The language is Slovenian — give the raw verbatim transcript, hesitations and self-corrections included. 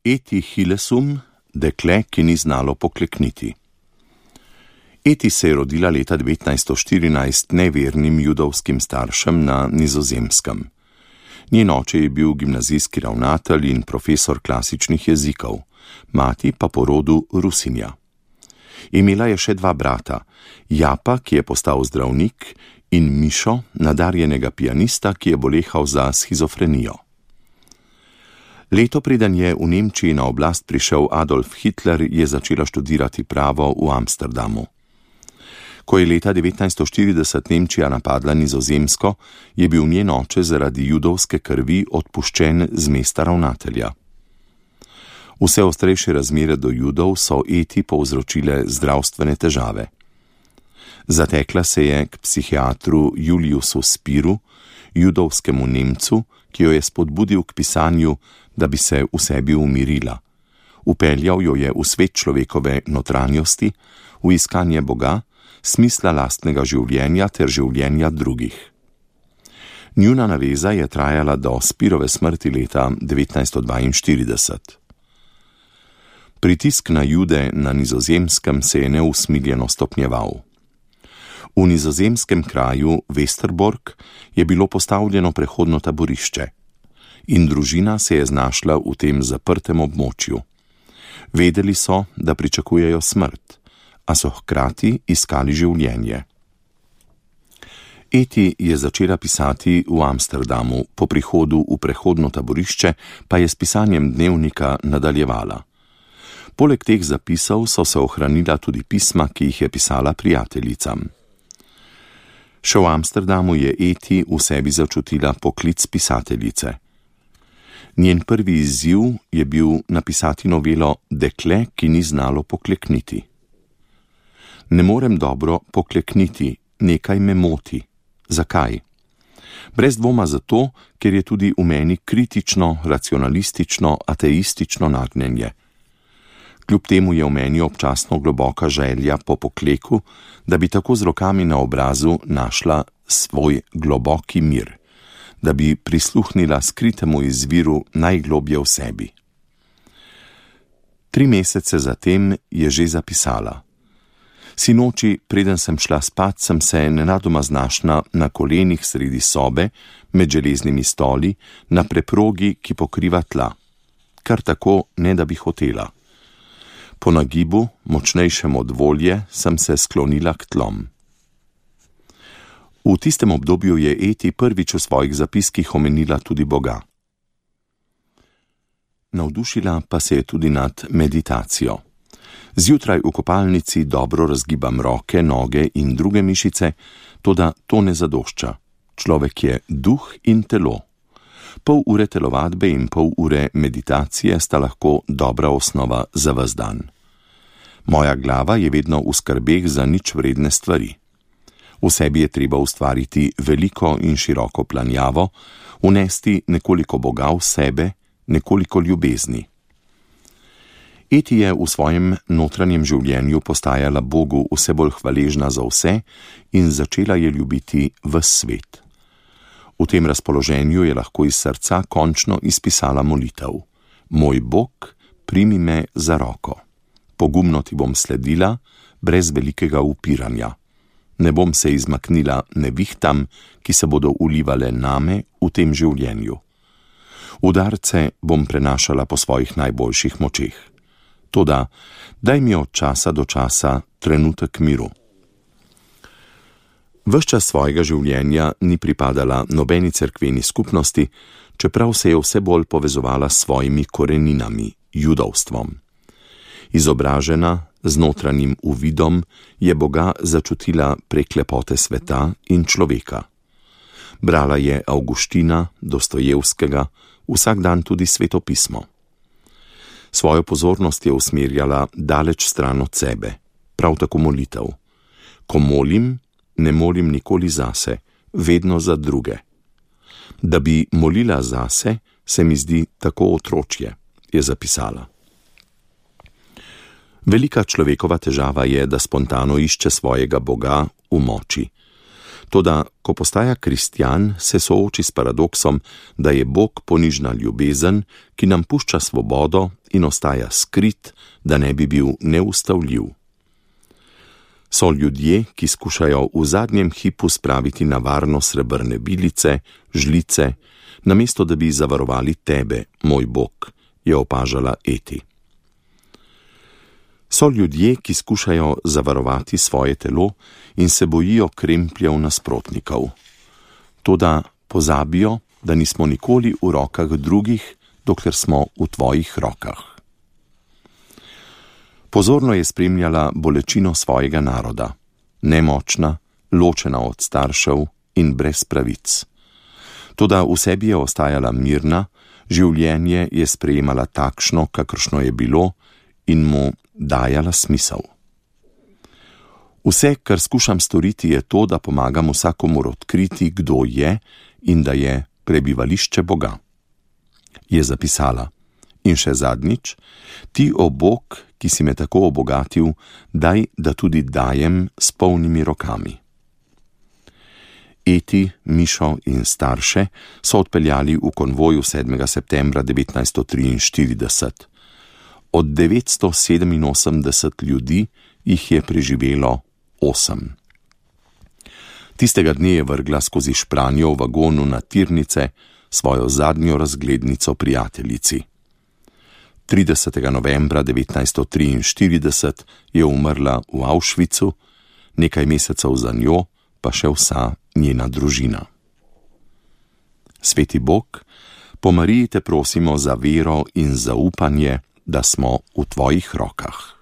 Eti Hilesum, dekle, ki ni znalo poklekniti. Eti se je rodila leta devetnajststo štirinajst nevernim judovskim staršem na Nizozemskem. Njen oče je bil gimnazijski ravnatelj in profesor klasičnih jezikov, mati pa po rodu Rusinja. Imela je še dva brata, Japa, ki je postal zdravnik, in Mišo, nadarjenega pianista, ki je bolehal za shizofrenijo. Leto preden je v Nemčiji na oblast prišel Adolf Hitler, je začela študirati pravo v Amsterdamu. Ko je leta devetnajststo štirideset Nemčija napadla Nizozemsko, je bil njen oče zaradi judovske krvi odpuščen z mesta ravnatelja. Vse ostrejše razmere do Judov so Eti povzročile zdravstvene težave. Zatekla se je k psihiatru Juliusu Spiru, judovskemu Nemcu, ki jo je spodbudil k pisanju, da bi se v sebi umirila. Upeljal jo je v svet človekove notranjosti, v iskanje Boga, smisla lastnega življenja ter življenja drugih. Njuna naveza je trajala do Spirove smrti leta devetnajststo dvainštirideset. Pritisk na Jude na Nizozemskem se je neusmiljeno stopnjeval. V nizozemskem kraju Westerbork je bilo postavljeno prehodno taborišče in družina se je znašla v tem zaprtem območju. Vedeli so, da pričakujejo smrt, a so hkrati iskali življenje. Eti je začela pisati v Amsterdamu, po prihodu v prehodno taborišče pa je s pisanjem dnevnika nadaljevala. Poleg teh zapisov so se ohranila tudi pisma, ki jih je pisala prijateljicam. Še v Amsterdamu je Eti v sebi začutila poklic pisateljice. Njen prvi izziv je bil napisati novelo Dekle, ki ni znalo poklekniti. Ne morem dobro poklekniti, nekaj me moti. Zakaj? Brez dvoma zato, ker je tudi v meni kritično, racionalistično, ateistično nagnjenje. Kljub temu je v meni občasno globoka želja po pokleku, da bi tako z rokami na obrazu našla svoj globoki mir, da bi prisluhnila skritemu izviru najglobje v sebi. Tri mesece zatem je že zapisala. Sinoči, preden sem šla spat, sem se nenadoma znašla na kolenih sredi sobe, med železnimi stoli, na preprogi, ki pokriva tla. Kar tako, ne da bi hotela. Po nagibu, močnejšem od volje, sem se sklonila k tlom. V tistem obdobju je Eti prvič v svojih zapiskih omenila tudi Boga. Navdušila pa se je tudi nad meditacijo. Zjutraj v kopalnici dobro razgibam roke, noge in druge mišice, toda to ne zadošča. Človek je duh in telo. Pol ure telovadbe in pol ure meditacije sta lahko dobra osnova za ves dan. Moja glava je vedno v skrbeh za nič vredne stvari. V sebi je treba ustvariti veliko in široko planjavo, unesti nekoliko Boga v sebe, nekoliko ljubezni. Eti je v svojem notranjem življenju postajala Bogu vse bolj hvaležna za vse in začela je ljubiti ves svet. V tem razpoloženju je lahko iz srca končno izpisala molitev. Moj Bog, primi me za roko. Pogumno ti bom sledila, brez velikega upiranja. Ne bom se izmaknila nevihtam, ki se bodo ulivale name v tem življenju. Udarce bom prenašala po svojih najboljših močeh. Toda, daj mi od časa do časa trenutek miru. Ves čas svojega življenja ni pripadala nobeni cerkveni skupnosti, čeprav se je vse bolj povezovala s svojimi koreninami, judovstvom. Izobražena, z notranjim uvidom, je Boga začutila prek lepote sveta in človeka. Brala je Avguština, Dostojevskega, vsak dan tudi svetopismo. Svojo pozornost je usmerjala daleč stran od sebe, prav tako molitev. Ko molim, ne molim nikoli zase, vedno za druge. Da bi molila zase, se mi zdi tako otročje, je zapisala. Velika človekova težava je, da spontano išče svojega Boga v moči. Toda, ko postaja kristjan, se sooči s paradoksom, da je Bog ponižna ljubezen, ki nam pušča svobodo in ostaja skrit, da ne bi bil neustavljiv. So ljudje, ki skušajo v zadnjem hipu spraviti na varno srebrne bilice, žlice, namesto da bi zavarovali tebe, moj Bog, je opažala Eti. So ljudje, ki skušajo zavarovati svoje telo in se bojijo krempljev nasprotnikov. Toda pozabijo, da nismo nikoli v rokah drugih, dokler smo v tvojih rokah. Pozorno je spremljala bolečino svojega naroda, nemočna, ločena od staršev in brez pravic. Toda v sebi je ostajala mirna, življenje je sprejemala takšno, kakršno je bilo, in mu dajala smisel. Vse, kar skušam storiti, je to, da pomagam vsakomur odkriti, kdo je in da je prebivališče Boga. Je zapisala. In še zadnjič, ti, o Bog, ki si me tako obogatil, daj, da tudi dajem s polnimi rokami. Eti, Mišo in starše so odpeljali v konvoju sedmega septembra devetnajststo triinštirideset. Od devetsto sedeminosemdeset ljudi jih je preživelo osem. Tistega dne je vrgla skozi špranjo v vagonu na tirnice svojo zadnjo razglednico prijateljici. tridesetega novembra devetnajststo triinštirideset je umrla v Auschwitzu, nekaj mesecev za njo pa še vsa njena družina. Sveti Bog, po Mariji te prosimo za vero in zaupanje, da smo v tvojih rokah.